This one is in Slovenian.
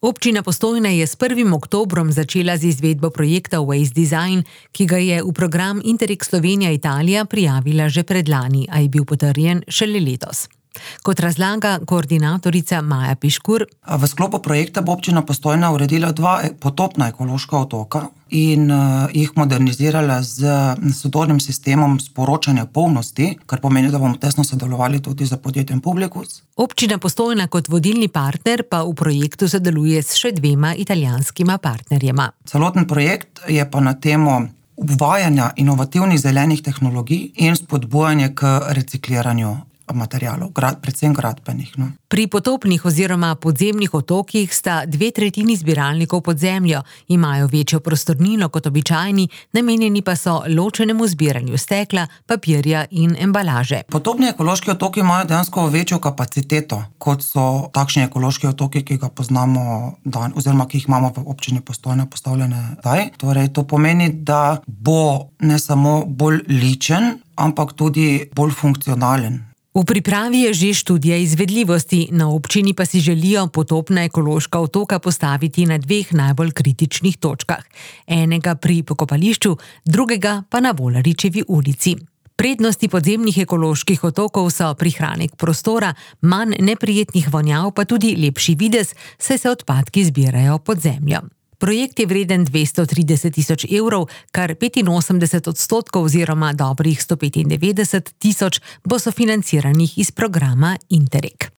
Občina Postojna je s 1. oktobrom začela z izvedbo projekta Waste Design, ki ga je v program Interreg Slovenija-Italija prijavila že predlani, a je bil potrjen šele letos. Kot razlaga koordinatorica Maja Piškur. V sklopu projekta bo občina Postojna uredila 2 potopna ekološka otoka in jih modernizirala z sodobnim sistemom sporočanja polnosti, kar pomeni, da bomo tesno sodelovali tudi z podjetjem Publikus. Občina Postojna kot vodilni partner pa v projektu sodeluje s še 2 italijanskima partnerjema. Celoten projekt je pa na temo uvajanja inovativnih zelenih tehnologij in spodbujanje k recikliranju materialov, predvsem gradbenih. Pri potopnih oziroma podzemnih otokih sta 2/3 zbiralnikov pod zemljo, imajo večjo prostornino kot običajni, namenjeni pa so ločenemu zbiranju stekla, papirja in embalaže. Potopni ekološki otoki imajo dejansko večjo kapaciteto, kot so takšni ekološki otoki, ki ga poznamo oziroma ki jih imamo v občini Postojna postavljene zdaj. Torej, to pomeni, da bo ne samo bolj ličen, ampak tudi bolj funkcionalen. V pripravi je že študija izvedljivosti, na občini pa si želijo potopna ekološka otoka postaviti na 2 najbolj kritičnih točkah. Enega pri pokopališču, drugega pa na Volaričevi ulici. Prednosti podzemnih ekoloških otokov so prihranek prostora, manj neprijetnih vonjav, pa tudi lepši videz, saj se odpadki zbirajo pod zemljo. Projekt je vreden 230 tisoč evrov, kar 85% oziroma dobrih 195 tisoč bo sofinanciranih iz programa Interreg.